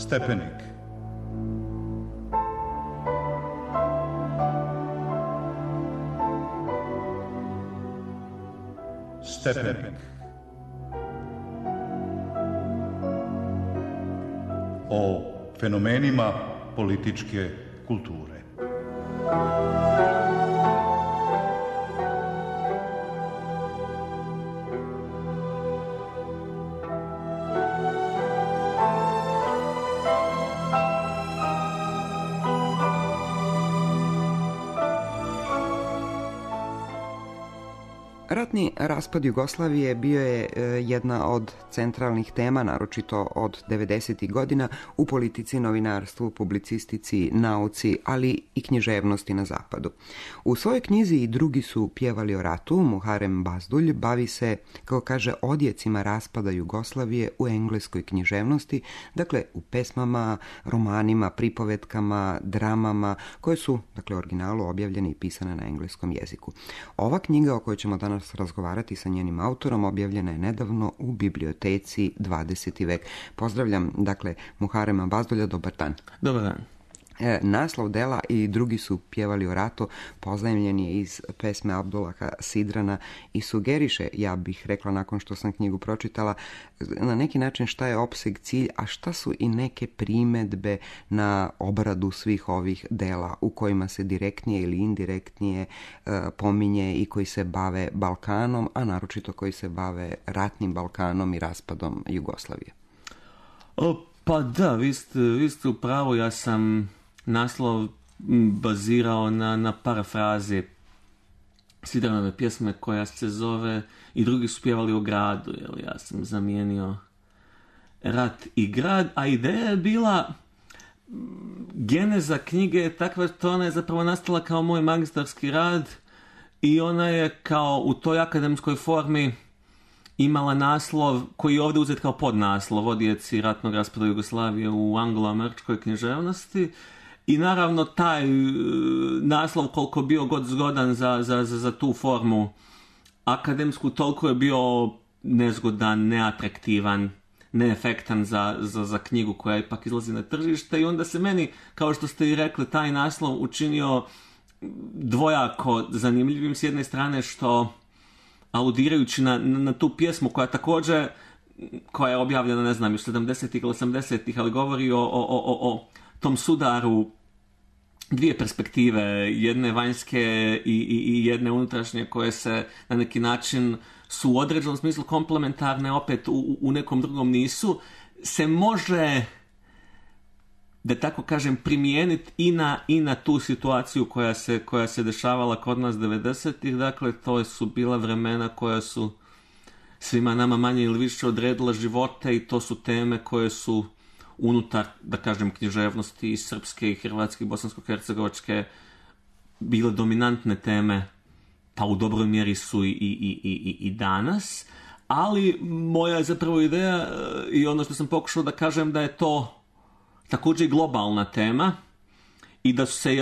Stepenik. Stepenik. O fenomenima političke kulture. Ratni raspad Jugoslavije bio je jedna od centralnih tema, naročito od 90. godina, u politici, novinarstvu, publicistici, nauci, ali i književnosti na zapadu. U svojoj knjizi I drugi su pjevali o ratu, Muharem Bazdulj bavi se, kao kaže, odjecima raspada Jugoslavije u engleskoj književnosti, dakle u pesmama, romanima, pripovetkama, dramama, koje su, dakle, u originalu objavljene I pisane na engleskom jeziku. Ova knjiga o kojoj ćemo danas razgovarati sa njenim autorom objavljena je nedavno u biblioteci 20. vek. Pozdravljam, dakle, Muharema Bazdulja, dobar dan. Dobar dan. Naslov dela I drugi su pjevali o ratu pozajmljen je iz pesme Abdullaha Sidrana i sugeriše, ja bih rekla nakon što sam knjigu pročitala, na neki način šta je opseg, cilj, a šta su I neke primedbe na obradu svih ovih dela u kojima se direktnije ili indirektnije pominje I koji se bave Balkanom, a naročito koji se bave ratnim Balkanom I raspadom Jugoslavije. Pa da, vi ste u pravu, ja sam naslov bazirao na parafrazi Sidranove pjesme koja se zove I drugi su pjevali o gradu, jer ja sam zamijenio rat I grad, a ideja je bila, geneza knjige je takva što ona je zapravo nastala kao moj magistarski rad I ona je kao u toj akademskoj formi imala naslov koji je ovdje uzet kao podnaslov, odjeci ratnog raspada Jugoslavije u anglo-američkoj književnosti. I naravno taj naslov, koliko bio god zgodan za tu formu akademsku, toliko je bio nezgodan, neatraktivan, neefektan za knjigu koja ipak izlazi na tržište. I onda se meni, kao što ste I rekli, taj naslov učinio dvojako zanimljivim. S jedne strane što, aludirajući na tu pjesmu koja je objavljena, ne znam, u 70-ih ili 80-ih, ali govori o tom sudaru dvije perspektive, jedne vanjske i jedne unutrašnje, koje se na neki način su u određenom smislu komplementarne, opet u nekom drugom nisu, se može, da tako kažem, primijeniti i na tu situaciju koja se dešavala kod nas 90-ih. Dakle, to su bila vremena koja su svima nama manje ili više odredila živote I to su teme koje su unutar, da kažem, književnosti I srpske I hrvatske I bosansko-hercegovačke bile dominantne teme, pa u dobroj mjeri su i danas. Ali moja je zapravo ideja I ono što sam pokušao da kažem, da je to također I globalna tema I da su se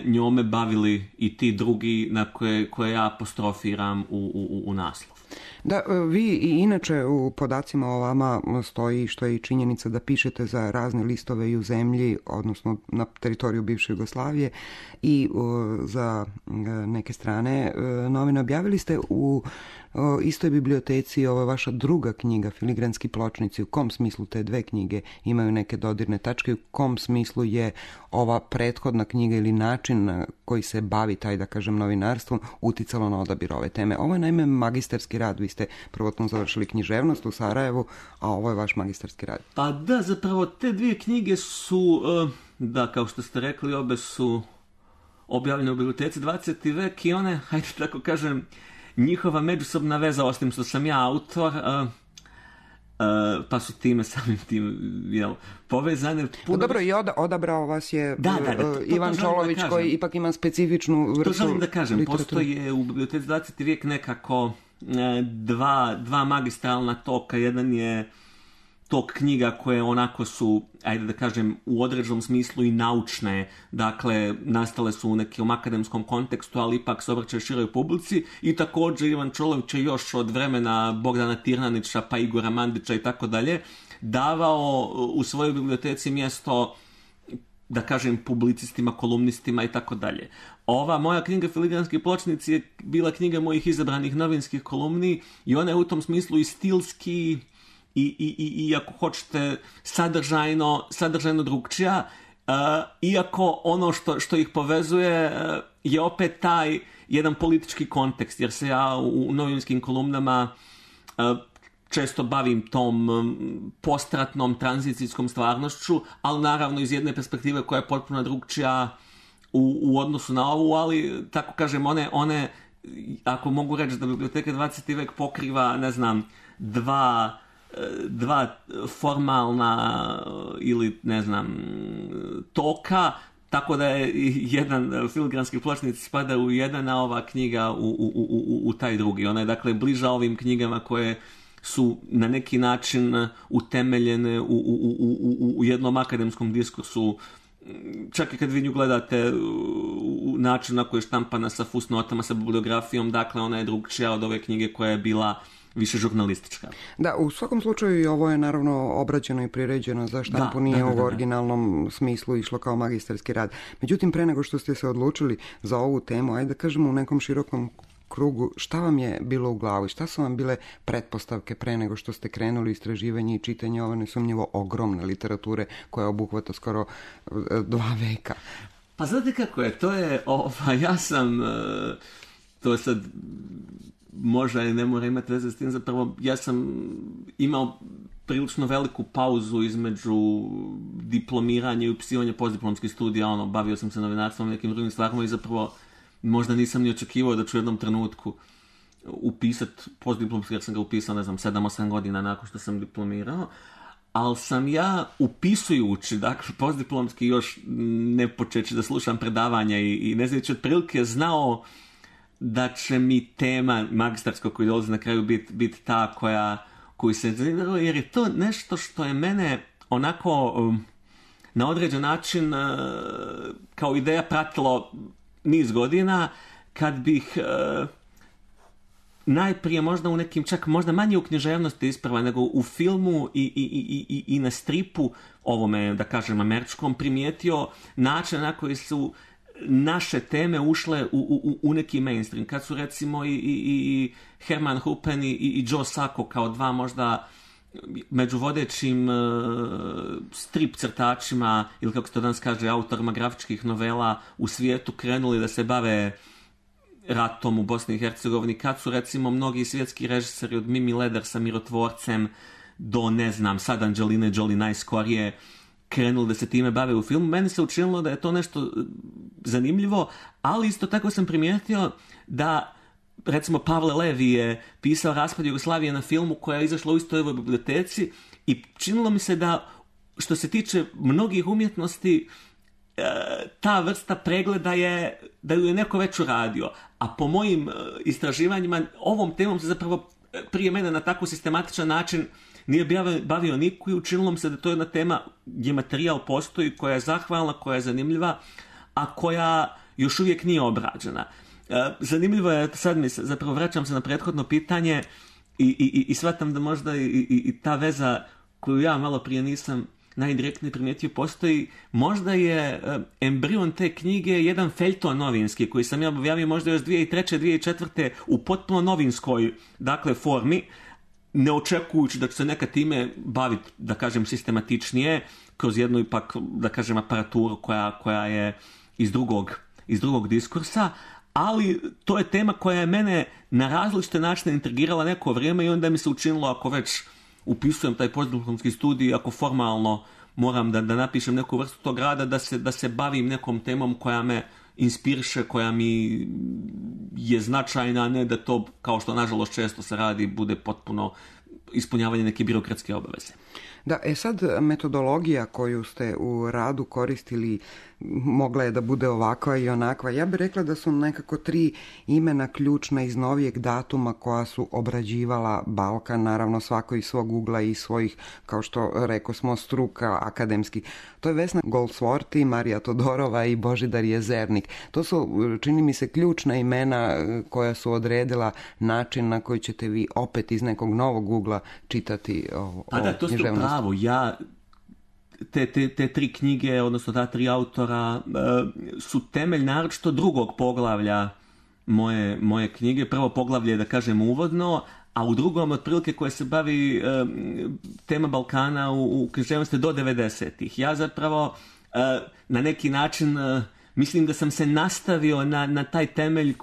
njome bavili I ti drugi na koje ja apostrofiram u naslov. Da, vi I inače u podacima o vama stoji, što je I činjenica, da pišete za razne listove I u zemlji, odnosno na teritoriju bivše Jugoslavije I za neke strane novine. Objavili ste u istoj biblioteci ova vaša druga knjiga, Filigranski pločnici. U kom smislu te dve knjige imaju neke dodirne tačke? U kom smislu je ova prethodna knjiga ili način na koji se bavi taj, da kažem, novinarstvom uticalo na odabir ove teme? Ovo je naime magistarski rad. Vi ste prvotno završili književnost u Sarajevu, a ovo je vaš magistarski rad. Pa da, zapravo te dvije knjige su, da, kao što ste rekli, obe su objavljene u biblioteci 20. vek I one, hajde tako kažem, njihova međusobna veza, osim što sam ja autor, pa su time samim tim povezane. Dobro, I odabrao vas je Ivan Čolović, koji ipak ima specifičnu vrstu. To želim da kažem, postoje u biblioteci 20. vijek nekako dva magistralna toka. Jedan je tog knjiga koje onako su, ajde da kažem, u određenom smislu i naučne, dakle, nastale su u nekom akademskom kontekstu, ali ipak se obraćaju široj publici, i također Ivan Čolović je još od vremena Bogdana Tirnanića pa Igora Mandića i tako dalje davao u svojoj biblioteci mjesto, da kažem, publicistima, kolumnistima i tako dalje. Ova moja knjiga Filigranski pločnici je bila knjiga mojih izabranih novinskih kolumni i ona je u tom smislu i stilski i ako hoćete sadržajno drugčija, iako ono što ih povezuje je opet taj jedan politički kontekst, jer se ja u novinskim kolumnama često bavim tom postratnom tranzicijskom stvarnošću, ali naravno iz jedne perspektive koja je potpuno drugčija u odnosu na ovu, ali tako kažem, one ako mogu reći da biblioteka 20. vek pokriva, ne znam, dva formalna ili, ne znam, toka, tako da je jedan Filigranski pločnici spada u jedan, a ova knjiga u taj drugi. Ona je, dakle, bliža ovim knjigama koje su na neki način utemeljene u jednom akademskom diskursu. Čak i kad vi nju gledate u način na koji je štampana sa fusnotama, sa bibliografijom, dakle ona je drugčija od ove knjige koja je bila više žurnalistička. Da, u svakom slučaju i ovo je naravno obrađeno i priređeno za štampu, nije u originalnom smislu išlo kao magistarski rad. Međutim, pre nego što ste se odlučili za ovu temu, ajde da kažemo u nekom širokom krugu, šta vam je bilo u glavi, šta su vam bile pretpostavke pre nego što ste krenuli istraživanje i čitanje ove nesumnjivo ogromne literature koja obuhvata skoro 2 veka? Pa znate kako je, to je, ja sam, to sad možda ne mora imati veze s tim, zapravo ja sam imao prilično veliku pauzu između diplomiranja i upisivanja postdiplomskih studija, bavio sam se novinarstvom i nekim drugim stvarima i zapravo možda nisam ni očekivao da ću u jednom trenutku upisati postdiplomski, jer sam ga upisao, ne znam, 7-8 godina nakon što sam diplomirao, ali sam ja upisujući, dakle, postdiplomski još ne počeći da slušam predavanja i ne znajući otprilike znao da će mi tema magistarskog koji dolazi na kraju biti ta koju se zanimljivo, jer je to nešto što je mene onako na određen način kao ideja pratilo niz godina, kad bih najprije možda u nekim, čak možda manje u književnosti isprava, nego u filmu i na stripu, ovome, da kažem, američkom, primijetio način na koji su naše teme ušle u neki mainstream. Kad su recimo i Herman Hupen i Joe Sacco kao dva možda među vodećim strip crtačima, ili kako se to danas kaže, autorima grafičkih novela u svijetu krenuli da se bave ratom u Bosni i Hercegovini, kad su recimo mnogi svjetski režiseri od Mimi Leder sa Mirotvorcem do, ne znam, sad Angeline Jolie najskorije krenuli da se time bave u filmu. Meni se učinilo da je to nešto zanimljivo, ali isto tako sam primijetio da recimo Pavle Levi je pisao Raspad Jugoslavije na filmu koja je izašla u istoj ovoj biblioteci i činilo mi se da što se tiče mnogih umjetnosti ta vrsta pregleda da ju je neko već uradio. A po mojim istraživanjima ovom temom se zapravo prije mene na tako sistematičan način nije bavio niko i učinilo mi se da to je jedna tema gdje materijal postoji, koja je zahvalna, koja je zanimljiva, a koja još uvijek nije obrađena. Zanimljivo je, sad zapravo vraćam se na prethodno pitanje i shvatam da možda i ta veza koju ja malo prije nisam najdirektnije primijetio postoji, možda je embrion te knjige jedan feljton novinski koji sam ja objavio možda još 2003. 2004. u potpuno novinskoj, dakle, formi, ne očekujući da će se neka time baviti, da kažem, sistematičnije, kroz jednu ipak, da kažem, aparaturu koja je iz drugog diskursa, ali to je tema koja je mene na različite načine intrigirala neko vrijeme i onda mi se učinilo, ako već upisujem taj postdiplomski studij, ako formalno moram da napišem neku vrstu tog rada, da se bavim nekom temom koja me inspiriše, koja mi je značajna, a ne da to, kao što nažalost često se radi, bude potpuno ispunjavanje neke birokratske obaveze. Da, sad metodologija koju ste u radu koristili mogla je da bude ovakva i onakva. Ja bih rekla da su nekako 3 imena ključna iz novijeg datuma koja su obrađivala Balkan, naravno svako iz svog ugla i svojih, kao što reko smo, struka akademski. To je Vesna Goldsworthy, Marija Todorova i Božidar Jezernik. To su, čini mi se, ključna imena koja su odredila način na koji ćete vi opet iz nekog novog ugla čitati o Pa da, to ste pravo. Ja te 3 knjige, odnosno ta 3 autora su temelj naročito drugog poglavlja moje knjige. Prvo poglavlje je, da kažem, uvodno, a u drugom otprilike koje se bavi tema Balkana u književnosti do 90-ih. Ja zapravo na neki način mislim da sam se nastavio na taj temelj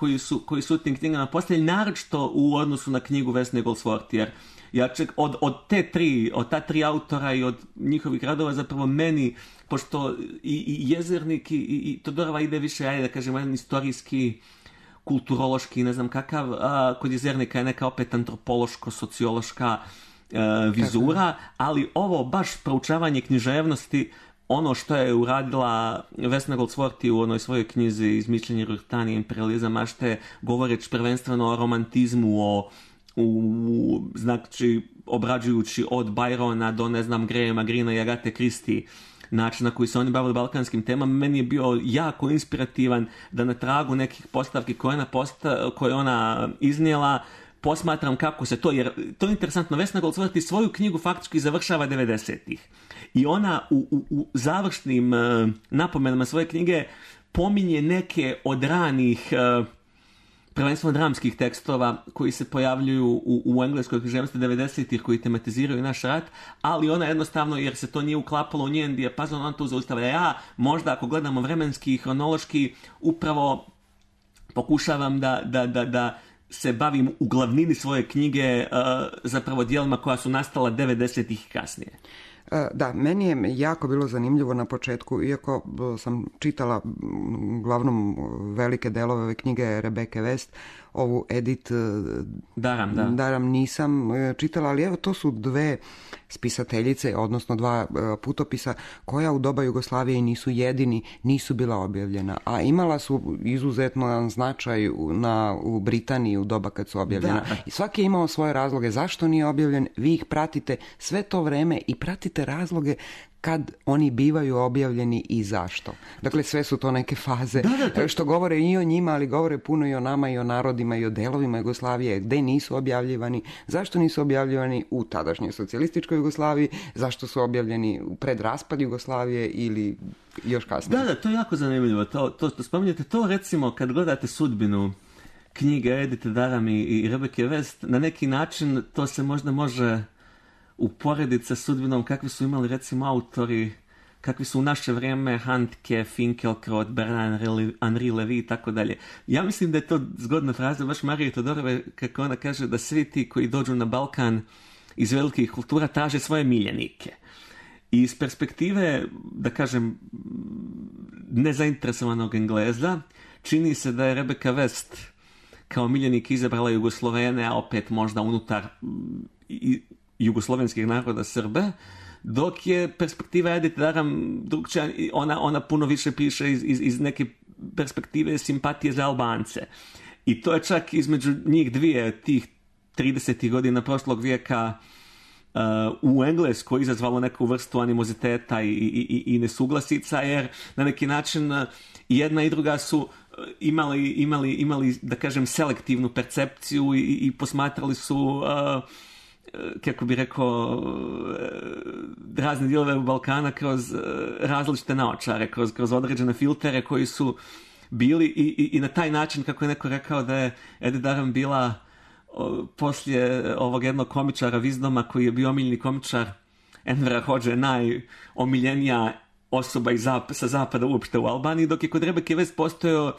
koji su u tim knjigama postavili, naročito u odnosu na knjigu Vesne Goldsworthy, jer ja od ta tri autora i od njihovih radova zapravo meni, pošto i Jezernik i Todorova ide više, ajde da kažem, jedan istorijski, kulturološki, ne znam kakav, kod Jezernika je neka opet antropološko-sociološka vizura, ali ovo baš proučavanje književnosti, ono što je uradila Vesna Goldsworthy u onoj svojoj knjizi Izmišljenje Rurtanije, imperializam mašte, govoreći prvenstveno o romantizmu, znači obrađujući od Byrona do, ne znam, Grahama Greena i Agathe Christie, način na koji se oni bavili balkanskim temama, meni je bio jako inspirativan da na tragu nekih postavki koje ona iznijela posmatram kako se to, jer to je interesantno, Vesna Goldsworthy svoju knjigu faktički završava 90-ih. I ona u završnim napomenama svoje knjige pominje neke od ranih prvenstveno dramskih tekstova koji se pojavljuju u engleskoj književnosti 90-ih, koji tematiziraju naš rat, ali ona jednostavno, jer se to nije uklapalo u njen dijapazon, ona to zaustavlja. Ja možda, ako gledamo vremenski i hronološki, upravo pokušavam da se bavim u glavnini svoje knjige zapravo dijelima koja su nastala 90-ih i kasnije. Da, meni je jako bilo zanimljivo na početku, iako sam čitala uglavnom velike delove ove knjige Rebecca West, ovu Edith Daram nisam čitala, ali evo to su 2 spisateljice, odnosno 2 putopisa koja u doba Jugoslavije nisu jedini, nisu bila objavljena, a imala su izuzetno značaj u Britaniji u doba kad su objavljena. Da. I svaki je imao svoje razloge zašto nije objavljen, vi ih pratite sve to vreme i pratite razloge kad oni bivaju objavljeni i zašto. Dakle, sve su to neke faze što govore i o njima, ali govore puno i o nama i o narodima i o delovima Jugoslavije, gde nisu objavljivani, zašto nisu objavljivani u tadašnjoj socijalističkoj Jugoslaviji, zašto su objavljeni pred raspad Jugoslavije ili još kasnije. Da, to je jako zanimljivo. To što spominjete, to recimo kad gledate sudbinu knjige Edith Daram i Rebecca West, na neki način to se možda može uporediti sa sudbinom kakvi su imali recimo autori, kakvi su u naše vrijeme Handke, Finkielkraut, Bernard Henri Levy i tako dalje. Ja mislim da je to zgodna fraza baš Marije Todorove, kako ona kaže da svi ti koji dođu na Balkan iz velikih kultura traže svoje miljenike. I iz perspektive, da kažem, nezainteresovanog Engleza, čini se da je Rebecca West kao miljenik izabrala Jugoslovene, a opet možda unutar jugoslovenskih naroda Srbe, dok je perspektiva Edith Daram drugčija, ona puno više piše iz neke perspektive simpatije za Albance. I to je čak između njih dvije, tih 30. godina prošlog vijeka, u Engleskoj izazvalo neku vrstu animoziteta i nesuglasica, jer na neki način jedna i druga su imali da kažem, selektivnu percepciju i posmatrali su kako bi rekao, razne dijelove Balkana kroz različite naočare, kroz određene filtere koji su bili i na taj način, kako je neko rekao, da je Edith Daram bila poslije ovog jednog komičara Vizdoma, koji je bio omiljeni komičar Envera Hodže, najomiljenija osoba sa zapada uopšte u Albaniji, dok je kod Rebecca West postojao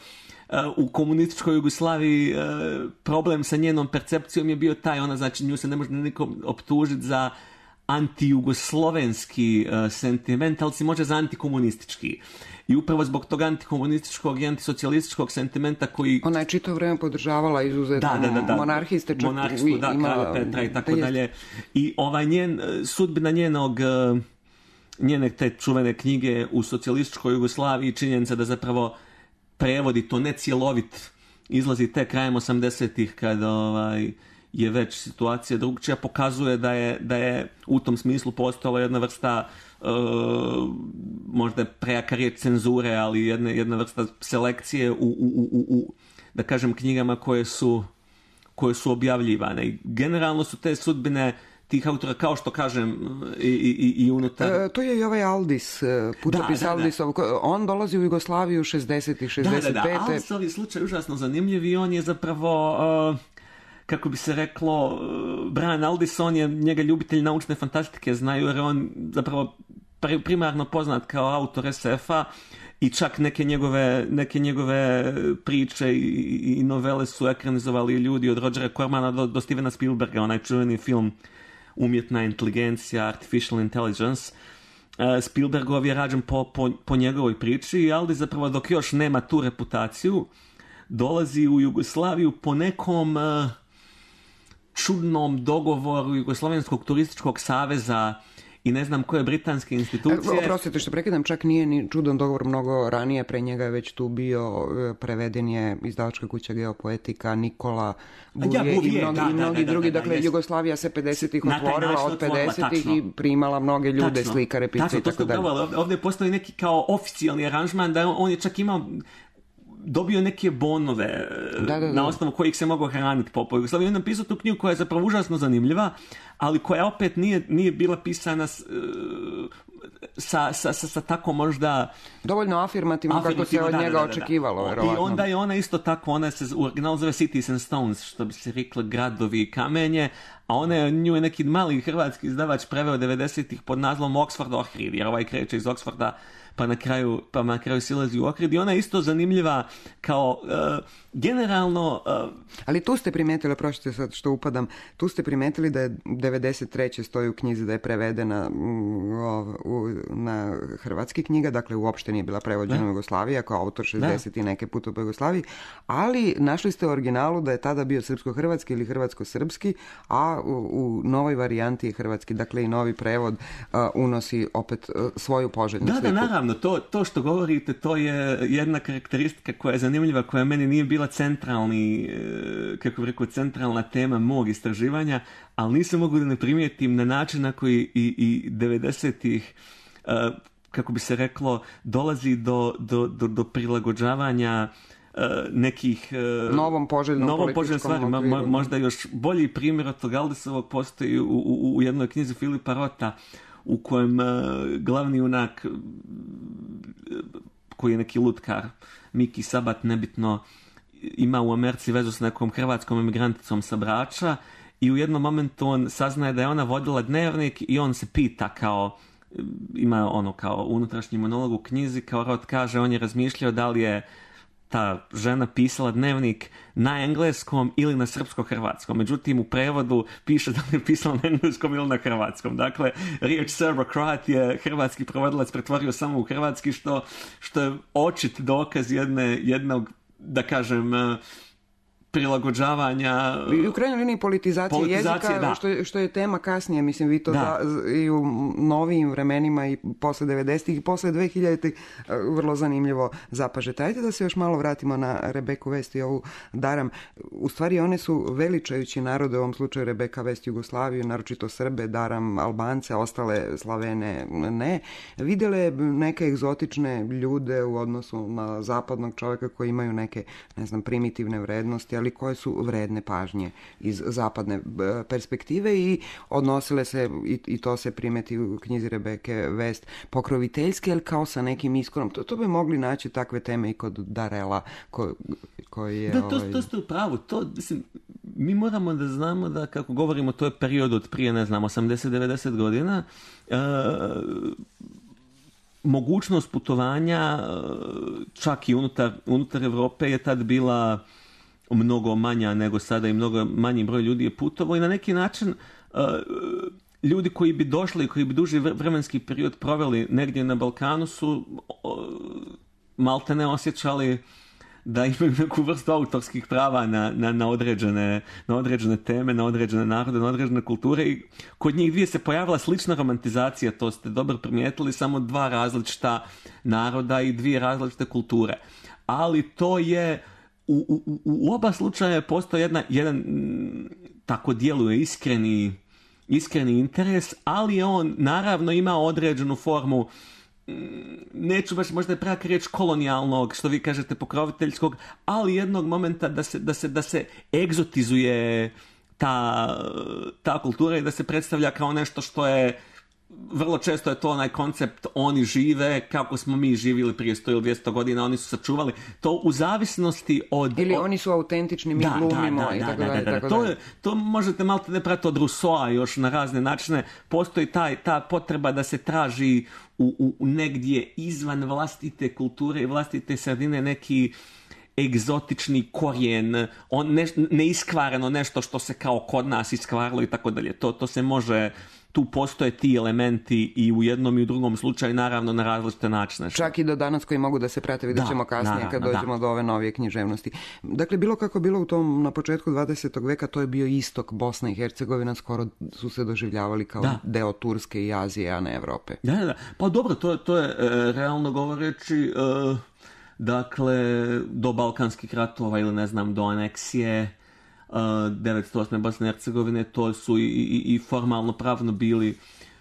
u komunističkoj Jugoslaviji problem sa njenom percepcijom je bio taj, ona znači nju se ne može nikom optužiti za antijugoslovenski sentiment, ali si može za antikomunistički. I upravo zbog tog antikomunističkog i antisocijalističkog sentimenta koji... Ona je čito vrijeme podržavala izuzetno monarhiste, čak monarhstvo, Kralja Petra i tako dalje. I sudbina njenog njene te čuvene knjige u socijalističkoj Jugoslaviji, činjenica da zapravo prevodi to ne cjelovit, izlazi tek krajem 80-ih kada je već situacija drugčija, pokazuje da je u tom smislu postojala jedna vrsta možda prejaka riječ cenzure, ali jedna vrsta selekcije u da kažem knjigama koje su objavljivane. I generalno su te sudbine tih autora, kao što kažem, i unutar... To je i ovaj Aldis, putopis Aldisov. On dolazi u Jugoslaviju 60. i 65. Da, Aldisov je slučaj užasno zanimljiv i on je zapravo... kako bi se reklo, Brian Aldiss, on je njega ljubitelj naučne fantastike, znaju, jer on zapravo primarno poznat kao autor SF-a i čak neke njegove priče i novele su ekranizovali ljudi od Rogera Cormana do Stevena Spielberga, onaj čuveni film Umjetna inteligencija, Artificial Intelligence. Spielbergov je rađen po njegovoj priči i Aldiss zapravo dok još nema tu reputaciju dolazi u Jugoslaviju po nekom čudnom dogovoru Jugoslavenskog turističkog saveza i ne znam koje britanske institucije. Oprostite što prekidam, čak nije ni čudan dogovor, mnogo ranije, pre njega je već tu bio, preveden je izdavačka kuća Geopoetika, Nikola Buvije i mnogi drugi. Dakle, Jugoslavija se 50-ih otvorila, od 50-ih i primala mnoge ljude, slikare, pisce i tako dalje. Ovdje postoji neki kao oficijalni aranžman da on je čak imao dobio neke bonove na osnovu kojih se mogao hraniti po Jugoslaviji. On je napisao tu knjigu koja je zapravo užasno zanimljiva, ali koja opet nije bila pisana sa tako možda... Dovoljno afirmativno kako se od njega očekivalo. Verovatno. I onda je ona isto tako, ona se u originalu zove Cities and Stones, što bi se reklo gradovi i kamenje, a nju je neki mali hrvatski izdavač preveo 90-ih pod nazvom Oxford Ohrid, jer ovaj kreće iz Oxforda pa na kraju silazi u Ohrid i ona je isto zanimljiva kao generalno... Ali tu ste primijetili, prošite sad što upadam, tu ste primijetili da je 93. stoji u knjizi da je prevedena na hrvatski knjiga, dakle uopšte nije bila prevođena u Jugoslaviji, kao autor 60 i neke puta u Jugoslaviji, ali našli ste u originalu da je tada bio srpsko-hrvatski ili hrvatsko-srpski, a u novoj varijanti je hrvatski, dakle i novi prevod unosi opet svoju poželjnu sliku. Da, naravno, to što govorite, to je jedna karakteristika koja je zanimljiva, koja meni nije bila centralna tema mog istraživanja, ali nisam mogu da ne primijetim na način na koji i 90-ih, kako bi se reklo, dolazi do prilagođavanja nekih novom poželjnom stvari. Možda još bolji primjer od tog Aldisovog postoji u jednoj knjizi Filipa Rota, u kojem glavni junak, koji je neki lutkar, Miki Sabat, nebitno, ima u Americi vezu s nekom hrvatskom emigranticom sa Brača i u jednom momentu on saznaje da je ona vodila dnevnik i on se pita ima kao unutrašnji monolog u knjizi, kao Rot kaže, on je razmišljao da li je ta žena pisala dnevnik na engleskom ili na srpsko-hrvatskom. Međutim, u prevodu piše da je pisala na engleskom ili na hrvatskom. Dakle, riječ servokrat je hrvatski prevodilac pretvorio samo u hrvatski, što je očit dokaz jednog, da kažem, prilagođavanja i u krajnjoj liniji politizacije jezika, što je tema kasnije, mislim, vi to i u novijim vremenima i posle 90-ih i posle 2000-ih vrlo zanimljivo zapažete. Ajde da se još malo vratimo na Rebeku Vest i ovu Daram. U stvari one su veličajući narode, u ovom slučaju Rebeka Vest Jugoslaviju, naročito Srbe, Daram Albance, ostale Slavene ne. Videle neke egzotične ljude u odnosu na zapadnog čovjeka koji imaju neke, ne znam, primitivne vrednosti, ali koje su vredne pažnje iz zapadne perspektive i odnosile se, i to se primeti u knjizi Rebeke Vest, pokroviteljske, ali kao sa nekim iskorom. To bi mogli naći takve teme i kod Darela koji je... Da, to ste u pravu. Mi moramo da znamo da, kako govorimo, to je period od prije, 80-90 godina, mogućnost putovanja čak i unutar Evrope je tad bila mnogo manja nego sada i mnogo manji broj ljudi je putovao i na neki način ljudi koji bi došli, koji bi duži vremenski period proveli negdje na Balkanu su maltene osjećali da imaju neku vrstu autorskih prava na određene teme, na određene narode, na određene kulture i kod njih dvije se pojavila slična romantizacija, to ste dobro primijetili, samo dva različita naroda i dvije različite kulture. Ali to je, u oba slučaja postoji jedan tako djeluje iskreni interes, ali on naravno ima određenu formu, neću baš možda je praka riječ kolonijalnog, što vi kažete pokroviteljskog, ali jednog momenta da se egzotizuje ta kultura i da se predstavlja kao nešto što je, vrlo često je to onaj koncept oni žive kako smo mi živjeli prije 100 ili 200 godina, oni su sačuvali to u zavisnosti od... Ili oni su autentični, mi glumimo i tako dalje. To možete malo ne pratiti od Rousseau još na razne načine. Postoji ta potreba da se traži u negdje izvan vlastite kulture i vlastite sredine neki egzotični korijen, neiskvareno nešto što se kao kod nas iskvarilo i tako dalje. To se može... Tu postoje ti elementi i u jednom i u drugom slučaju, naravno na različite načine. Čak i do danas koji mogu da se prate, vidjet ćemo kasnije kad dođemo do ove novije književnosti. Dakle, bilo kako bilo na početku 20. veka, to je bio istok Bosna i Hercegovina, skoro su se doživljavali kao deo Turske i Azije, a ne Evrope. Da. Pa dobro, to je realno govoreći, dakle, do Balkanskih ratova ili ne znam, do aneksije 908. Bosne i Hercegovine, to su i formalno pravno bili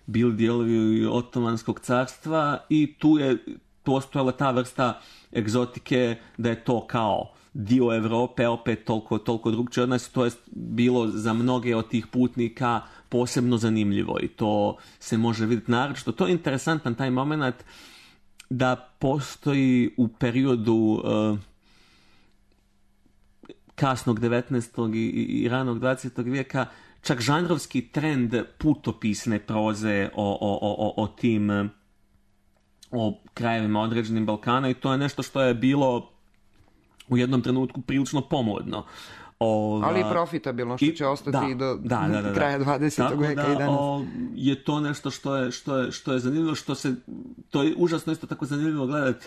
dijelovi Otomanskog carstva i tu je postojala ta vrsta egzotike da je to kao dio Europe, opet toliko drugčije od nas, to je bilo za mnoge od tih putnika posebno zanimljivo i to se može vidjeti naročito. To je interesantan taj moment da postoji u periodu kasnog 19. i ranog 20. vijeka čak žanrovski trend putopisne proze o tim o krajevima određenim Balkana i to je nešto što je bilo u jednom trenutku prilično pomodno. Ali i profitabilno, što će ostati do kraja 20. vijeka i danas. Je to nešto što je zanimljivo, to je užasno isto tako zanimljivo gledati.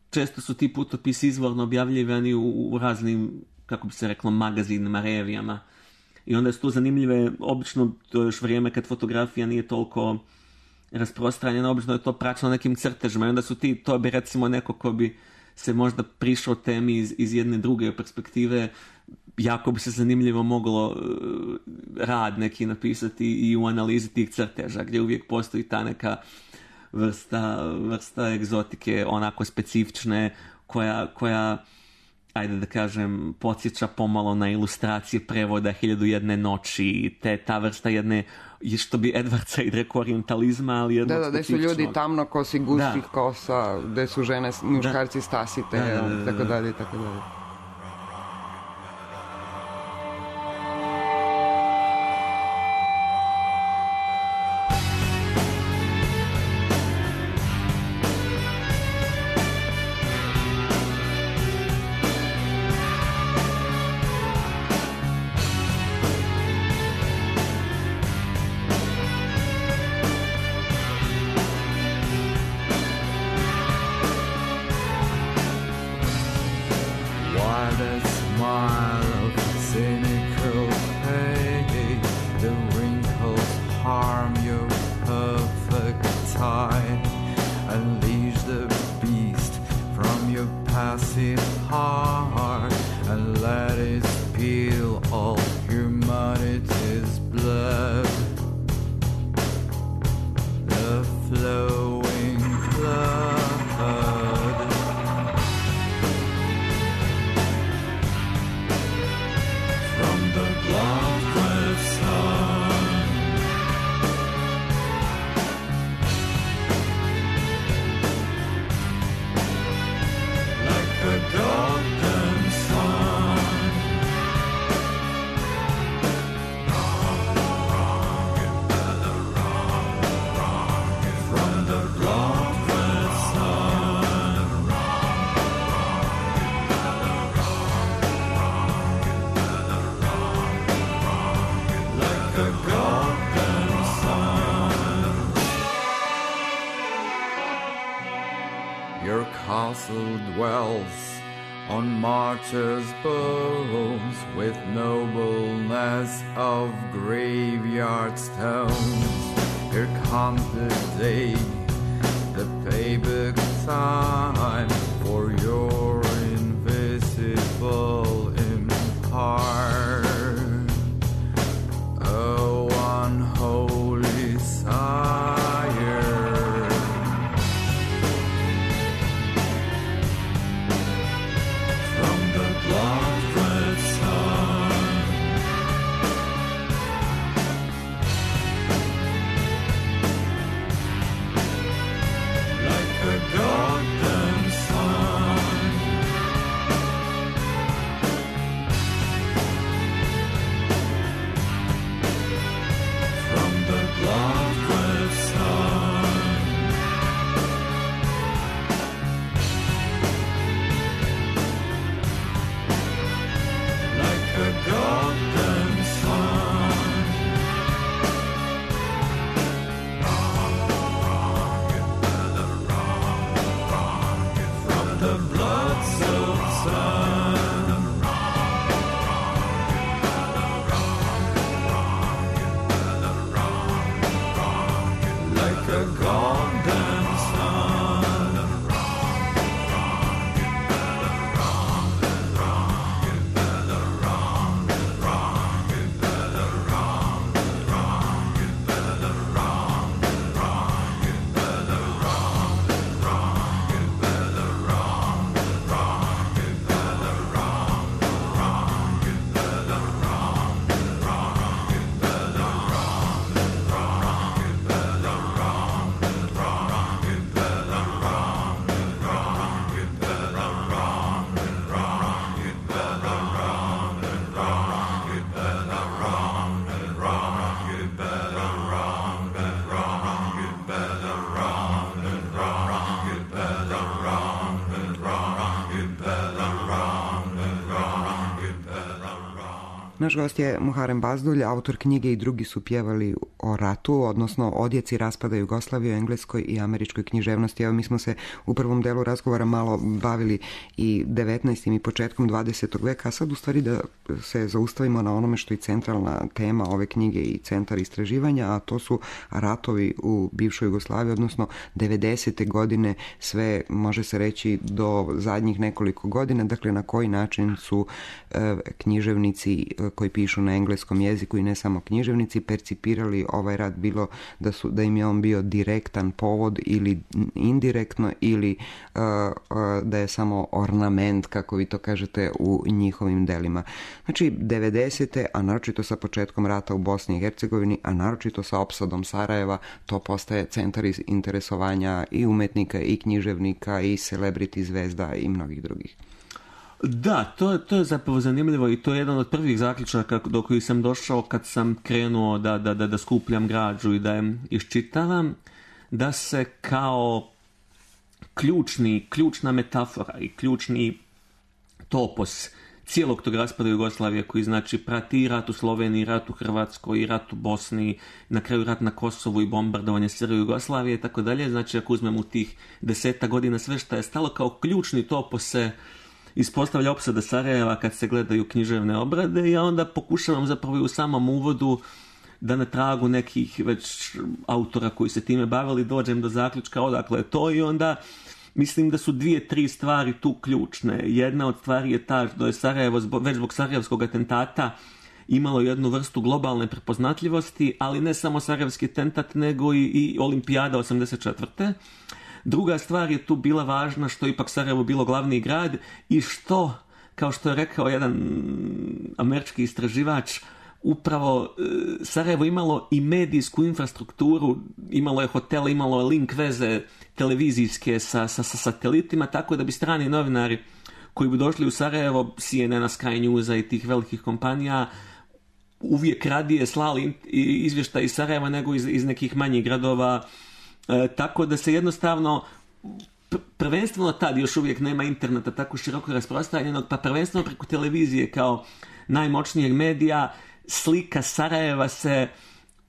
Često su ti putopisi izvorno objavljivani u raznim, kako bi se reklo, magazinima, revijama. I onda su tu zanimljive, obično to je još vrijeme kad fotografija nije toliko rasprostranjena, obično je to praćeno nekim crtežima i onda su to bi recimo neko ko bi se možda prišao temi iz jedne druge perspektive, jako bi se zanimljivo moglo rad neki napisati i u analizi tih crteža, gdje uvijek postoji ta neka vrsta egzotike, onako specifične, koja ajde da kažem, podsjeća pomalo na ilustracije prevoda 1001 noći, ta vrsta jedne, što bi Edward Said rekao, orientalizma, ali jednog specifičnog. Da su ljudi tamno kosi, gustih kosa, gde su žene, muškarci stasite, tako dalje. castle dwells on martyrs' bones with nobleness of graveyard stones. Here comes the day, the payback time for your invisible empire. Oh, unholy sire, from the blood-red sun, like a golden sun, from the blood-red sun, like a golden sun. From the blood-soaked sun, like a golden sun. Naš gost je Muharem Bazdulj, autor knjige I drugi su pjevali o ratu, odnosno odjeci raspada Jugoslavije u engleskoj i američkoj književnosti. Evo, mi smo se u prvom delu razgovora malo bavili i 19. i početkom 20. veka, a sad u stvari da se zaustavimo na onome što je centralna tema ove knjige i centar istraživanja, a to su ratovi u bivšoj Jugoslaviji, odnosno 90. godine, sve može se reći do zadnjih nekoliko godina, dakle na koji način su književnici koji pišu na engleskom jeziku i ne samo književnici percipirali ovaj rat, bilo da im je on bio direktan povod ili indirektno ili da je samo ornament, kako vi to kažete, u njihovim delima. Znači 90. a naročito sa početkom rata u Bosni i Hercegovini, a naročito sa opsadom Sarajeva, to postaje centar interesovanja i umetnika i književnika i celebrity zvezda i mnogih drugih. Da, to je zapravo zanimljivo i to je jedan od prvih zaključaka do kojih sam došao kad sam krenuo da skupljam građu i da je iščitavam, da se kao ključna metafora i ključni topos cijelog tog raspada Jugoslavije, koji znači prati i rat u Sloveniji, rat u Hrvatskoj, i rat u Bosni, na kraju rat na Kosovu i bombardovanje Srbije Jugoslavije i tako dalje. Znači ako uzmemo u tih 10 godina sve što je stalo kao ključni topos se ispostavlja opsada Sarajeva kad se gledaju književne obrade, i ja onda pokušavam zapravo i u samom uvodu da na tragu nekih već autora koji se time bavili dođem do zaključka odakle je to, i onda mislim da su 2-3 stvari tu ključne. Jedna od stvari je ta da je Sarajevo već zbog sarajevskog atentata imalo jednu vrstu globalne prepoznatljivosti, ali ne samo sarajevski atentat, nego i Olimpijada 84. Druga stvar je tu bila važna što ipak Sarajevo bilo glavni grad i što, kao što je rekao jedan američki istraživač, upravo Sarajevo imalo i medijsku infrastrukturu, imalo je hotele, imalo je link veze televizijske sa satelitima, tako da bi strani novinari koji bi došli u Sarajevo, CNN-a, Sky Newsa i tih velikih kompanija, uvijek radije slali izvještaj iz Sarajeva nego iz nekih manjih gradova, tako da se jednostavno prvenstveno tad još uvijek nema interneta tako široko rasprostranjenog, pa prvenstveno preko televizije kao najmoćnijeg medija slika Sarajeva se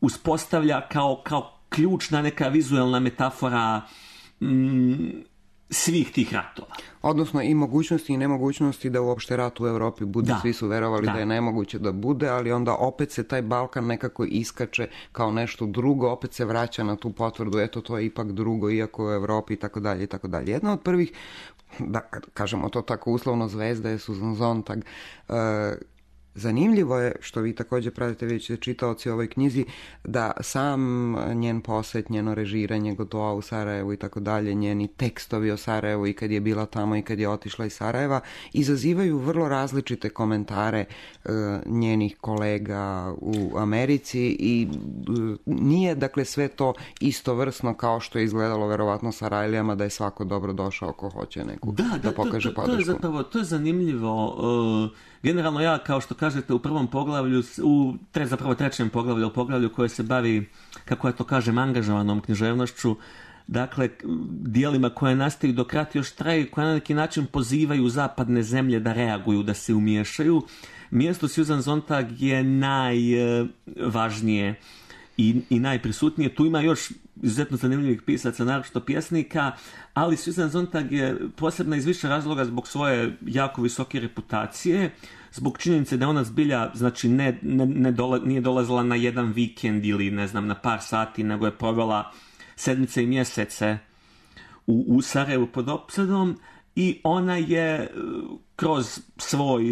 uspostavlja kao ključna neka vizuelna metafora svih tih ratova. Odnosno i mogućnosti i nemogućnosti da uopšte rat u Europi bude, svi su verovali da je nemoguće da bude, ali onda opet se taj Balkan nekako iskače kao nešto drugo, opet se vraća na tu potvrdu, eto to je ipak drugo, iako u Europi i tako dalje i tako dalje. Jedna od prvih, da kažemo to tako uslovno, zvezda je Susan Sontag. Zanimljivo je, što vi također pratite, vi ćete čitaoci u ovoj knjizi, da sam njen posjet, njeno režiranje Gotoa u Sarajevu i tako dalje, njeni tekstovi o Sarajevu i kad je bila tamo i kad je otišla iz Sarajeva, izazivaju vrlo različite komentare njenih kolega u Americi i nije dakle sve to istovrsno kao što je izgledalo verovatno Sarajlijama, da je svako dobro došao ko hoće neku da pokaže podršku. To je zanimljivo. Generalno ja, kao što kažete, u prvom poglavlju, trećem poglavlju koje se bavi, kako ja to kažem, angažovanom književnošću, dakle, dijelima koje nastaju dok rat još traje, koje na neki način pozivaju zapadne zemlje da reaguju, da se umiješaju. Mjesto Susan Sontag je najvažnije i najprisutnije. Tu ima još izuzetno zanimljivih pisaca, naročito pjesnika, ali Susan Sontag je posebna iz više razloga zbog svoje jako visoke reputacije, zbog činjenice da ona zbilja, znači nije dolazila na jedan vikend ili ne znam na par sati, nego je provela sedmice i mjesece u Sarajevu pod opsadom i ona je kroz svoj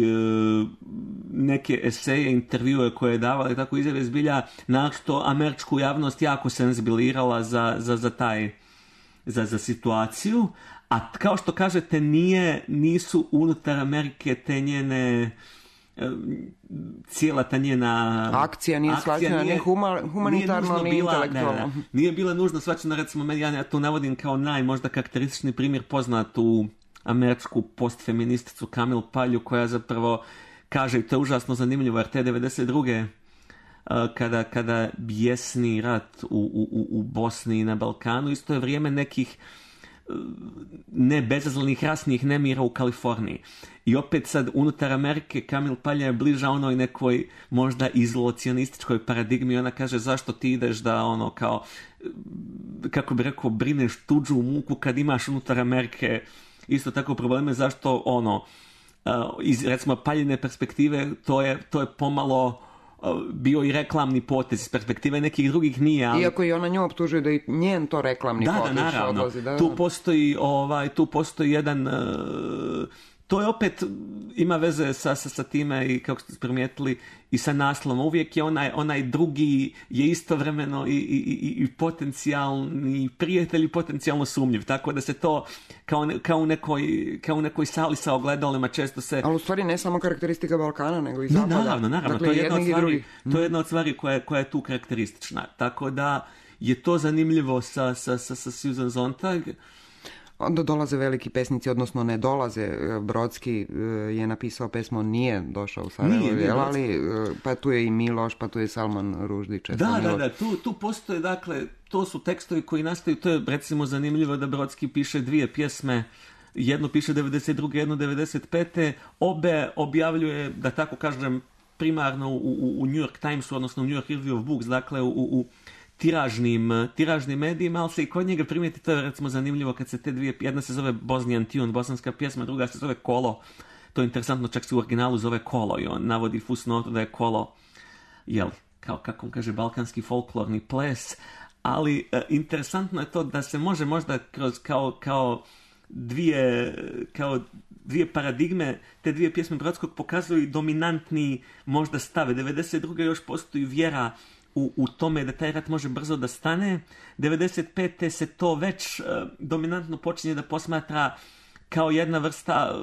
neke eseje, intervjue koje je davala i tako izjave zbilja naročito američku javnost jako senzibilirala za situaciju, a kao što kažete nisu unutar Amerike te njene cijela ta njena akcija nije shvaćena ni humanitarno ni intelektualno. Nije bila nužno shvaćena, recimo ja to navodim kao možda karakteristični primjer poznatu američku postfeministicu Kamil Palju, koja zapravo kaže, i to je užasno zanimljivo, jer te 92. kada bijesni rat u Bosni i na Balkanu, isto je vrijeme nekih bezazlenih rasnih nemira u Kaliforniji. I opet sad unutar Amerike Kamil Palja je bliža onoj nekoj možda izolacionističkoj paradigmi. Ona kaže, zašto ti ideš da kao, kako bi rekao, brineš tuđu muku kad imaš unutar Amerike isto tako probleme, zašto iz recimo Paljine perspektive to je pomalo bio i reklamni potez, iz perspektive nekih drugih nije. Ali... Iako i ona nju optužuje da i njen to reklamni potez naravno. Odlazi. Tu postoji jedan... To je opet, ima veze sa time i kako ste primijetili i sa naslovom. Uvijek je onaj drugi je istovremeno i potencijalni prijatelj i potencijalno sumnjiv. Tako da se to kao u nekoj sali sa ogledalima često se... Ali u stvari ne samo karakteristika Balkana, nego i Zapada. Naravno. Dakle, to je jedna od stvari koja je tu karakteristična. Tako da je to zanimljivo sa Susan Sontag. Onda dolaze veliki pesnici, odnosno ne dolaze. Brodski je napisao pesmu Nije došao u Sarajevo, ali pa tu je i Miloš, pa tu je Salman Ruždić. Tu postoje, dakle, to su tekstovi koji nastaju, to je recimo zanimljivo da Brodski piše dvije pjesme, jednu piše 92. jednu 95. Obe objavljuje, da tako kažem, primarno u New York Timesu, odnosno u New York Review of Books, dakle u tiražnim medijima, ali se i kod njega primijeti, to je recimo zanimljivo kad se te dvije, jedna se zove Bosnian Tune, bosanska pjesma, druga se zove Kolo, to je interesantno, čak se u originalu zove Kolo i on navodi fusnotu da je Kolo, kao kako on kaže, balkanski folklorni ples, ali interesantno je to da se može možda kroz kao dvije paradigme, te dvije pjesme Brodskog pokazuju i dominantni možda stave. 92. još postoji vjera u tome da taj rat može brzo da stane. 95. se to već dominantno počinje da posmatra kao jedna vrsta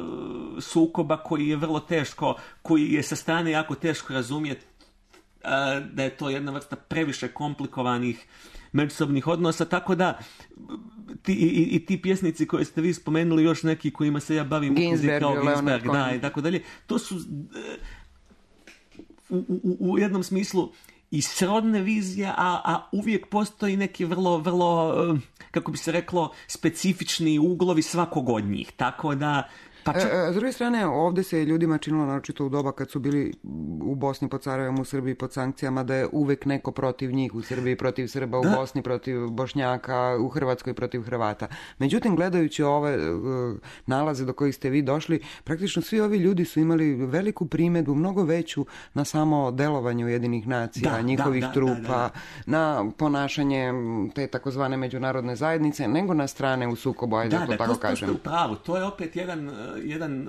sukoba koji je vrlo teško, koji je sa strane jako teško razumjeti, da je to jedna vrsta previše komplikovanih međusobnih odnosa, tako da ti pjesnici koje ste vi spomenuli, još neki kojima se ja bavim, Ginsberg, i tako dalje, to su u jednom smislu i srodne vizije, a uvijek postoji neki vrlo, vrlo, kako bi se reklo, specifični uglovi svakog od njih. Tako da S druge strane, ovdje se ljudima činilo, naročito u doba kad su bili u Bosni pod Sarajevom, u Srbiji pod sankcijama, da je uvek neko protiv njih, u Srbiji protiv Srba, u Bosni protiv Bošnjaka, u Hrvatskoj protiv Hrvata. Međutim, gledajući ove nalaze do kojih ste vi došli, praktično svi ovi ljudi su imali veliku primjedbu, mnogo veću na samo delovanje Ujedinjenih nacija, njihovih trupa, na ponašanje te takozvane međunarodne zajednice, nego na strane u sukobu, ajde to tako kažem. To ste u pravu. To je opet jedan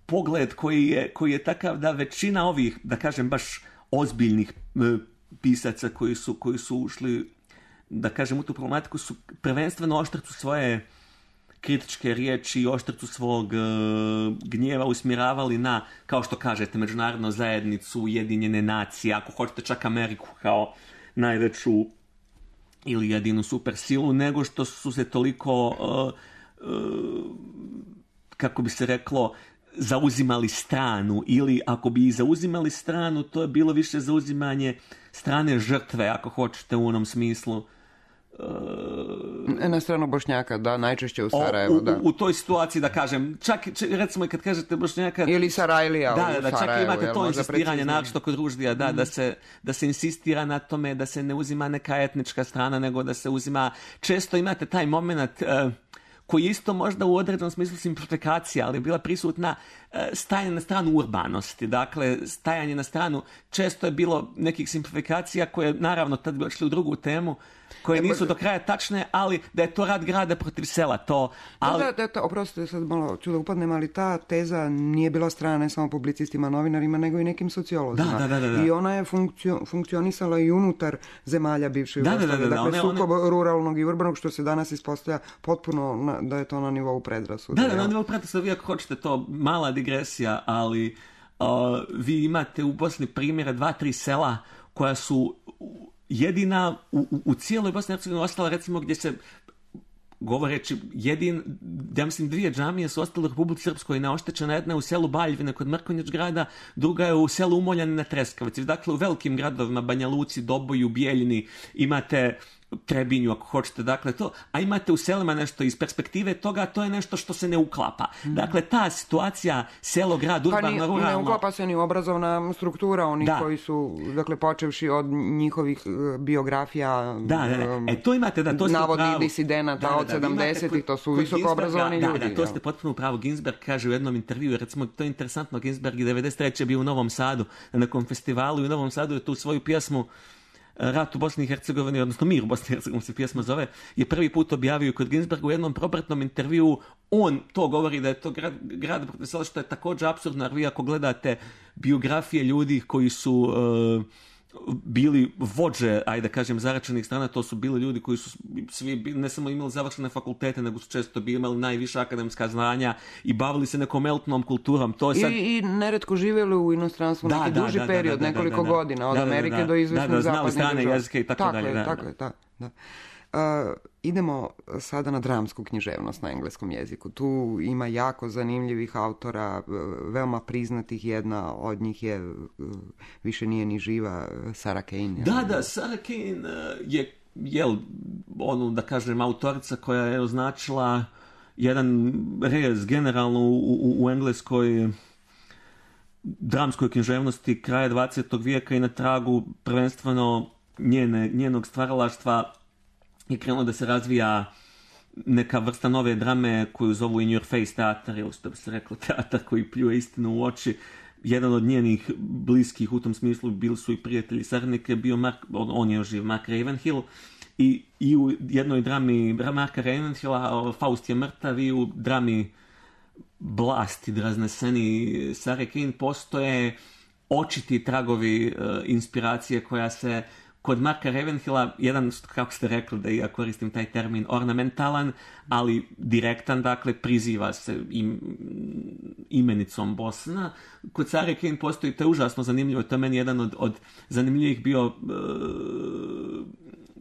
pogled koji je takav da većina ovih, da kažem, baš ozbiljnih pisaca koji su ušli, da kažem, u tu problematiku, su prvenstveno oštrcu svoje kritičke riječi i oštrcu svog gnjeva usmjeravali na, kao što kažete, međunarodnu zajednicu, Ujedinjene nacije, ako hoćete čak Ameriku kao najveću ili jedinu supersilu, nego što su se toliko, kako bi se reklo, zauzimali stranu, ili ako bi i zauzimali stranu, to je bilo više zauzimanje strane žrtve, ako hoćete, u onom smislu. Na stranu Bošnjaka, da, najčešće u Sarajevu, da. U toj situaciji, da kažem, čak recimo i kad kažete Bošnjaka... Ili Sarajlija u Sarajevu. Da, čak imate to insistiranje, naročito kod Ruždija, da se insistira na tome da se ne uzima neka etnička strana, nego da se uzima... Često imate taj moment... koji je isto možda u određenom smislu simplifikacija, ali je bila prisutna stajanje na stranu urbanosti. Dakle, stajanje na stranu, često je bilo nekih simplifikacija koje, naravno, tad bi odšli u drugu temu, koje nisu do kraja tačne, ali da je to rat grada protiv sela. Oprostite, sad malo ću da upadnem, ali ta teza nije bila strana ne samo publicistima, novinarima, nego i nekim sociolozima. Da. I ona je funkcionisala i unutar zemalja bivše Jugoslavije. Dakle, sukob ruralnog i urbanog, što se danas ispostavlja potpuno da je to na nivou predrasuda. Da, na nivou predrasuda, vi ako hoćete to, mala digresija, ali vi imate u Bosni primjera 2-3 sela koja su jedina u cijeloj Bosni i Hercegovini ostala, recimo, gdje se govoreći ja mislim 2 džamije su ostale u Republici Srpskoj neoštećena, jedna je u selu Baljevine kod Mrkonjić grada, druga je u selu Umoljani na Treskavici. Dakle, u velikim gradovima, Banja Luci, Doboju, Bijeljini, imate Trebinju, ako hoćete, dakle to, a imate u selima nešto iz perspektive toga, to je nešto što se ne uklapa. Dakle, ta situacija selo, grad, urbano, ruralno... Ne uklapa se ni obrazovna struktura onih koji su, dakle, počevši od njihovih biografija, to imate, to ste navodnih pravu. disidenata od 70-ih, to su visoko obrazovani ljudi. Da, to ste potpuno pravo. Ginsberg kaže u jednom intervju, recimo, to je interesantno, Ginsberg je 93. bio u Novom Sadu, na nekom festivalu, i u Novom Sadu je tu svoju pjesmu Rat u Bosni i Hercegovini, odnosno Mir u Bosni i Hercegovini se pjesma zove, je prvi put objavio kod Ginsberga u jednom propratnom intervjuu. On to govori da je to grad protiv sela, što je također apsurdno, jer vi ako gledate biografije ljudi koji su bili vođe, ajde kažem, zaračenih strana, to su bili ljudi koji su svi ne samo imali završene fakultete, nego su često imali najviša akademska znanja i bavili se nekom elitnom kulturom. To sad... I neretko živjeli u inostranstvu neki duži period, nekoliko godina, od Amerike do izvesnih zapadnih strane jezike i tako dalje. Tako je. Idemo sada na dramsku književnost na engleskom jeziku. Tu ima jako zanimljivih autora, veoma priznatih. Jedna od njih je, više nije ni živa, Sarah Kane. Da, Sarah Kane je ono, da kažem, autorica koja je označila jedan rez generalno u engleskoj dramskoj književnosti kraja 20. vijeka i na tragu prvenstveno njenog stvaralaštva je krenulo da se razvija neka vrsta nove drame koju zovu In Your Face teatar, ili što bi se reklo teatar koji pljuje istinu u oči. Jedan od njenih bliskih u tom smislu bili su i prijatelji saradnike, bio on je još živ, Mark Ravenhill, i u jednoj drami Marka Ravenhilla Faust je mrtav, i u drami Blast i razneseni Sarah Kane postoje očiti tragovi inspiracije koja se kod Marka Ravenhilla, jedan, kako ste rekli, da ja koristim taj termin, ornamentalan, ali direktan, dakle, priziva se imenicom Bosna. Kod Sarah Kane postoji, to je užasno zanimljivo, to je meni jedan od zanimljivih bio,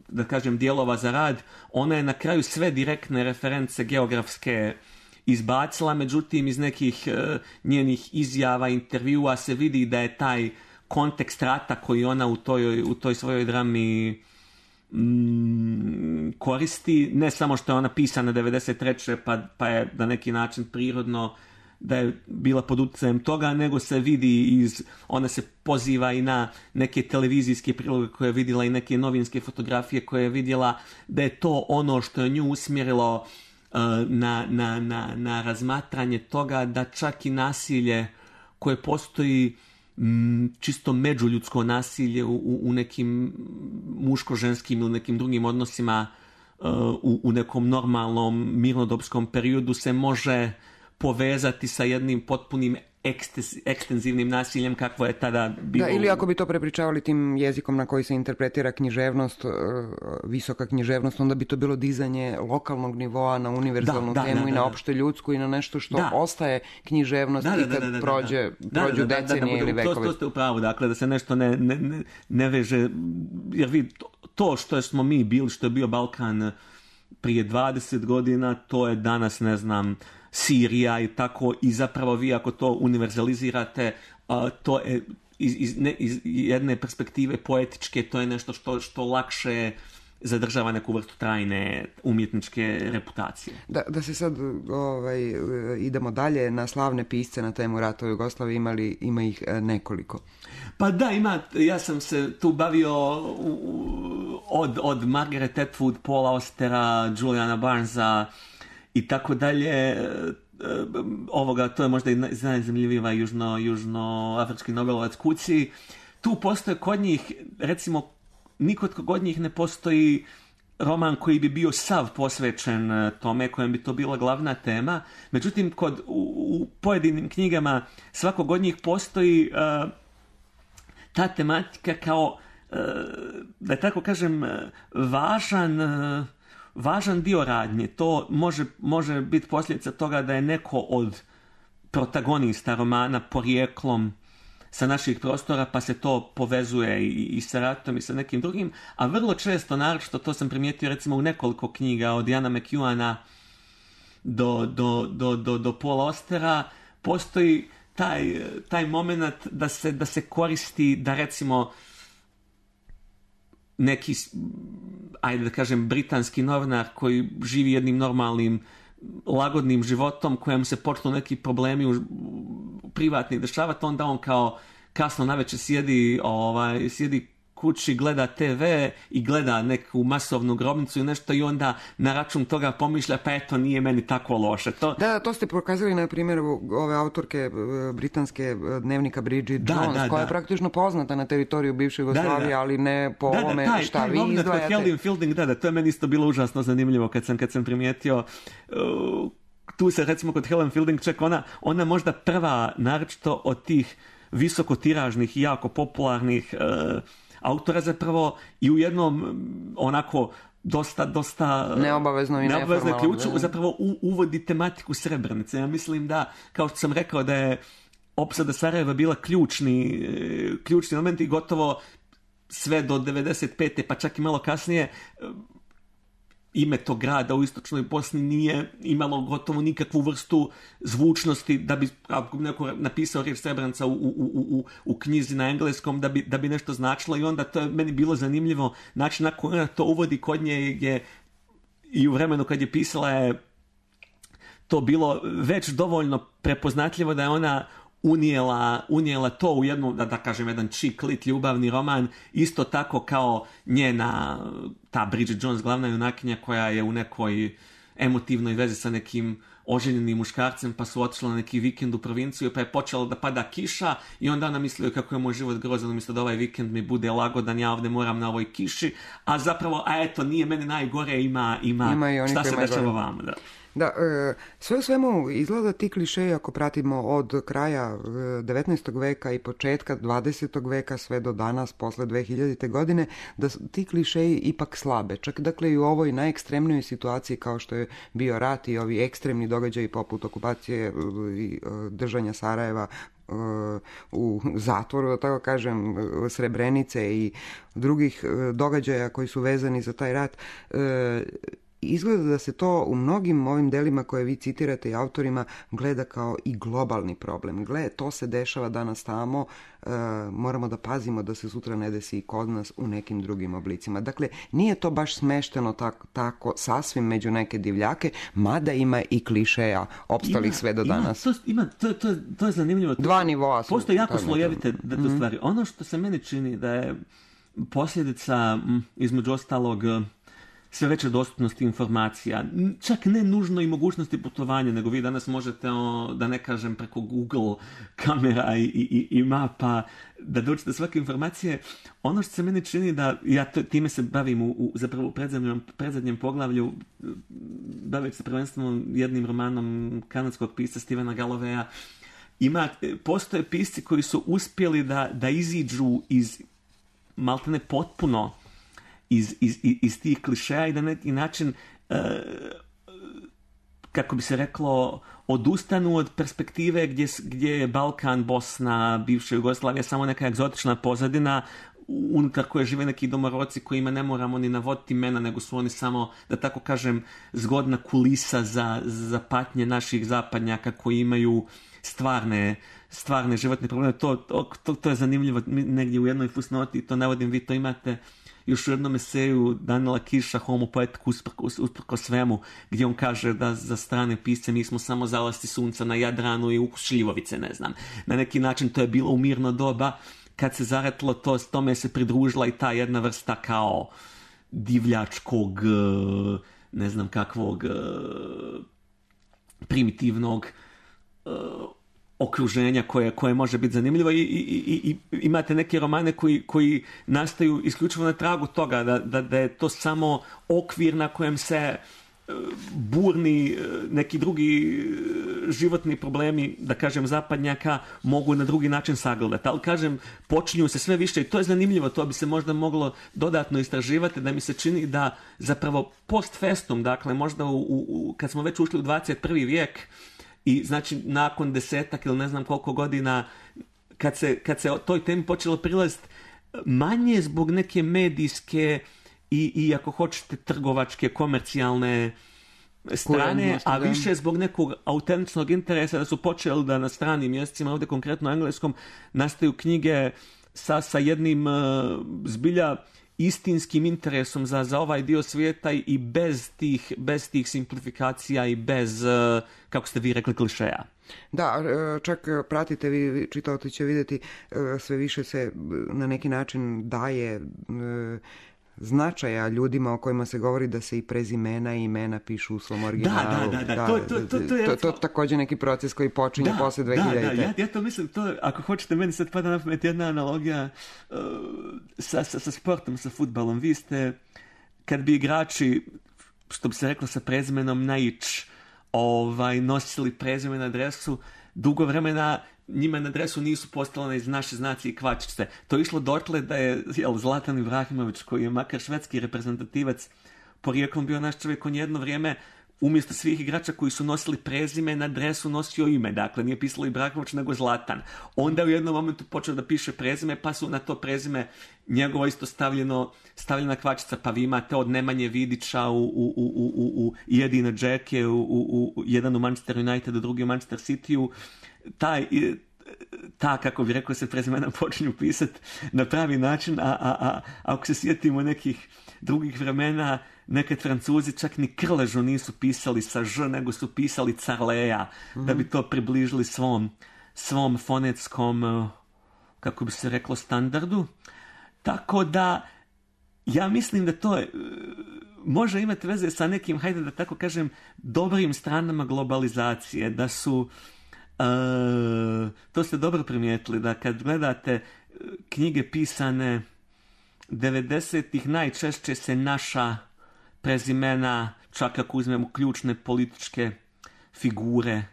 da kažem, dijelova za rad. Ona je na kraju sve direktne reference geografske izbacila, međutim, iz nekih njenih izjava, intervjua se vidi da je taj kontekst rata koji ona u toj svojoj drami koristi, ne samo što je ona pisana 93. pa je na neki način prirodno da je bila pod utjecajem toga, nego se vidi ona se poziva i na neke televizijske priloge koje je vidjela i neke novinske fotografije koje je vidjela, da je to ono što je nju usmjerilo na razmatranje toga da čak i nasilje koje postoji, čisto međuljudsko nasilje u nekim muško-ženskim ili nekim drugim odnosima u nekom normalnom mirnodopskom periodu se može povezati sa jednim potpunim ekstenzivnim nasiljem kakvo je tada bilo. Da, ili ako bi to prepričavali tim jezikom na koji se interpretira književnost, visoka književnost, onda bi to bilo dizanje lokalnog nivoa na univerzalnu temu i na opšte ljudsku i na nešto što ostaje književnost i kad prođu decenije ili vekovi. To ste u pravu, dakle, da se nešto ne veže, jer vi, to što smo mi bili, što je bio Balkan prije 20 godina, to je danas, ne znam, Sirija i tako, i zapravo vi ako to univerzalizirate, to je iz jedne perspektive poetičke, to je nešto što lakše zadržava neku vrstu trajne umjetničke reputacije. Da se sad idemo dalje na slavne pisce na temu rata u Jugoslaviji, ima ih nekoliko. Pa da, ja sam se tu bavio od Margaret Atwood, Paula Austera, Juliana Barnesa i tako dalje. To je možda i najzanimljivija južnoafrički Nobelovac Kuci. Tu postoje kod njih, recimo, nikod kod njih ne postoji roman koji bi bio sav posvećen tome, kojem bi to bila glavna tema. Međutim, u pojedinim knjigama svakog od njih postoji ta tematika kao, da tako kažem, važan dio radnje. To može biti posljedica toga da je neko od protagonista romana porijeklom sa naših prostora, pa se to povezuje i sa ratom i sa nekim drugim, a vrlo često, naročito to sam primijetio recimo u nekoliko knjiga, od Jana McEwana do Paula Austera, postoji taj moment da se koristi, da recimo neki, ajde da kažem, britanski novinar koji živi jednim normalnim, lagodnim životom, kojem se počnu neki problemi privatni dešavati, onda on kao kasno navečer sjedi kući, gleda TV i gleda neku masovnu grobnicu i nešto, i onda na račun toga pomišlja, pa eto, nije meni tako loše. To ste pokazali na primjeru ove autorke britanske dnevnika Bridget Jones, koja je praktično poznata na teritoriju bivše Jugoslavije, ali ne po ovome šta vi izdvajate. Helen Fielding, to je meni isto bilo užasno zanimljivo kad sam primijetio. Tu se recimo kod Helen Fielding čak ona možda prva, naročito od tih visokotiražnih i jako popularnih autora zapravo, i u jednom onako dosta neobavezno i neformalno ključu zapravo uvodi tematiku Srebrenice. Ja mislim da, kao što sam rekao, da je opsada Sarajeva bila ključni moment i gotovo sve do 95. pa čak i malo kasnije ime tog grada u istočnoj Bosni nije imalo gotovo nikakvu vrstu zvučnosti da bi, ako neko napisao riječ Srebrenica u knjizi na engleskom, da bi nešto značilo, i onda to je meni bilo zanimljivo način na koji ona to uvodi. Kod nje je i u vremenu kad je pisala je to bilo već dovoljno prepoznatljivo da je ona unijela to u jednu, da kažem, jedan chick lit ljubavni roman, isto tako kao njena, ta Bridget Jones, glavna junakinja, koja je u nekoj emotivnoj vezi sa nekim oženjenim muškarcem, pa su otišli na neki vikend u provinciju, pa je počela da pada kiša i onda ona mislila kako je moj život grozan, umjesto da ovaj vikend mi bude lagodan, ja ovdje moram na ovoj kiši, a zapravo, eto, nije meni najgore, ima šta se dešava vama, da. Da, sve u svemu izgleda ti klišeji, ako pratimo od kraja 19. veka i početka 20. veka sve do danas, posle 2000. godine, da ti klišeji ipak slabe. Čak dakle i u ovoj najekstremnijoj situaciji kao što je bio rat i ovi ekstremni događaji poput okupacije i držanja Sarajeva u zatvoru, da tako kažem, Srebrenice i drugih događaja koji su vezani za taj rat, Izgleda da se to u mnogim ovim delima koje vi citirate i autorima gleda kao i globalni problem. Gle, to se dešava danas tamo, moramo da pazimo da se sutra ne desi i kod nas u nekim drugim oblicima. Dakle, nije to baš smešteno tako sasvim među neke divljake, mada ima i klišeja opstalih sve do danas. To je zanimljivo. Dva nivoa su. Postoje jako slojevite stvari. Ono što se meni čini da je posljedica, između ostalog, sve veće dostupnosti informacija, čak ne nužno i mogućnosti putovanja, nego vi danas možete, da ne kažem, preko Google kamera i mapa da dođete svake informacije. Ono što se meni čini da, ja time se bavim zapravo u predzadnjem poglavlju, bavim se prvenstveno jednim romanom kanadskog pisca Stephena Galloweya. Postoje pisci koji su uspjeli da iziđu iz maltene potpuno iz tih klišeja i da na neki način, kako bi se reklo, odustanu od perspektive gdje je Balkan, Bosna, bivša Jugoslavija samo neka egzotična pozadina unutar koje žive neki domoroci kojima ne moramo ni navoditi imena, nego su oni samo, da tako kažem, zgodna kulisa za patnje naših zapadnjaka koji imaju stvarne životne probleme. To je zanimljivo negdje u jednoj fusnoti, to navodim, vi to imate još u jednom eseju Daniela Kiša, Homo poetik usprko svemu, gdje on kaže da za strane pisce mi smo samo zalasti sunca na Jadranu i ukus šljivovice, ne znam. Na neki način to je bilo u mirno doba, kad se zaretlo tome se pridružila i ta jedna vrsta kao divljačkog, ne znam kakvog, primitivnog okruženja koje može biti zanimljivo i imate neke romane koji nastaju isključivo na tragu toga da je to samo okvir na kojem se burni neki drugi životni problemi, da kažem, zapadnjaka mogu na drugi način sagledati. Ali kažem, počinju se sve više i to je zanimljivo, to bi se možda moglo dodatno istraživati, da mi se čini da zapravo post festum, dakle možda kad smo već ušli u 21. vijek i znači nakon 10 ili ne znam koliko godina kad se o toj temi počelo prilaziti, manje zbog neke medijske i ako hoćete trgovačke, komercijalne strane, a više zbog nekog autentičnog interesa da su počeli da na stranim mjesecima, ovdje konkretno engleskom, nastaju knjige sa jednim zbilja istinskim interesom za ovaj dio svijeta i bez tih simplifikacija i bez, kako ste vi rekli, klišeja. Da, čak pratite, vi čitaoci će vidjeti, sve više se na neki način daje značaja ljudima o kojima se govori da se i prezimena i imena pišu u svom originalu. Da. To je također neki proces koji počinje posle 2000. Ja to mislim, ako hoćete, meni sad pada na pamet jedna analogija sa sportom, sa fudbalom. Vi ste, kad bi igrači, što bi se reklo sa prezimenom Naić, nosili prezime na dresu, dugo vremena njima na dresu nisu postavljene iz naše znaci i kvačice. To je išlo dotle da je Zlatan Ibrahimović, koji je makar švedski reprezentativac porijeklom, bio naš čovjek, on jedno vrijeme umjesto svih igrača koji su nosili prezime na dresu nosio ime. Dakle, nije pisalo Ibrahimović nego Zlatan. Onda u jednom momentu počeo da piše prezime, pa su na to prezime njegovo isto stavljena kvačica, pa vi imate od Nemanje Vidića u Jedina Džeke, jedan u Manchester Unitedu, drugi u Manchester Cityu. Ta, kako bi rekao, se prezimena počinju pisati na pravi način, a ako se sjetimo nekih drugih vremena, nekad Francuzi čak ni Krležu nisu pisali sa Ž, nego su pisali Carleja, da bi to približili svom fonetskom, kako bi se reklo, standardu. Tako da, ja mislim da to može imati veze sa nekim, hajde da tako kažem, dobrim stranama globalizacije, da su, to ste dobro primijetili, da kad gledate knjige pisane 90-ih, najčešće se naša prezimena, čak ako uzmemo ključne političke figure,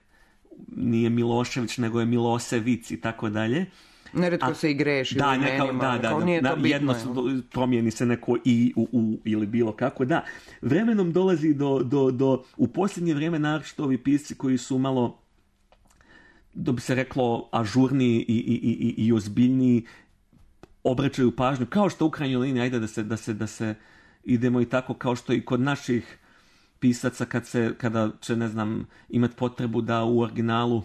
nije Milošević, nego je Milosevic i tako dalje. Neretko se i greši u imenima, jedno promijeni se neko i u ili bilo kako. Da, vremenom dolazi do u posljednje vrijeme naročito ovi pisci koji su malo, da bi se reklo, ažurniji i ozbiljniji, obraćaju pažnju, kao što u krajnjoj liniji, ajde da se idemo i tako, kao što i kod naših pisaca kada će, ne znam, imati potrebu da u originalu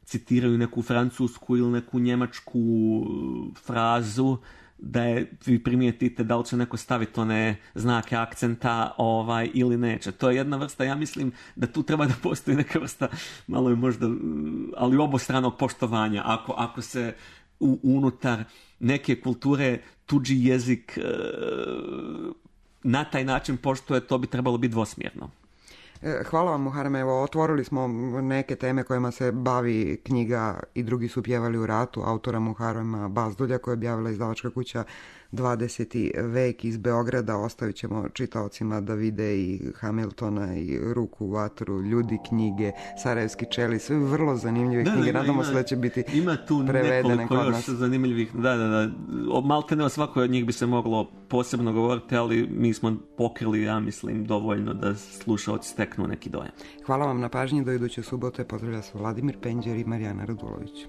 citiraju neku francusku ili neku njemačku frazu, da vi primijetite da li će neko staviti one znake akcenta ili neće. To je jedna vrsta, ja mislim da tu treba da postoji neka vrsta, malo je možda, ali obostranog poštovanja. Ako se unutar neke kulture tuđi jezik na taj način poštuje, to bi trebalo biti dvosmjerno. Hvala vam, Muharrem. Evo, otvorili smo neke teme kojima se bavi knjiga I drugi su pjevali u ratu autora Muharrema Bazdulja, koja je objavila izdavačka kuća 20. vek iz Beograda. Ostavit ćemo čitaocima da vide i Hamiltona i Ruku u vatru, Ljudi knjige, Sarajevski čeli, sve vrlo zanimljive knjige. Nadamo se da će biti prevedene kod nas. Zanimljivih, da. Malte ne o svakoj od njih bi se moglo posebno govoriti, ali mi smo pokrili, ja mislim, dovoljno da slušaoci steknu neki dojam. Hvala vam na pažnji, do iduće subote. Pozdravlja se Vladimir Penđer i Marijana Radulović.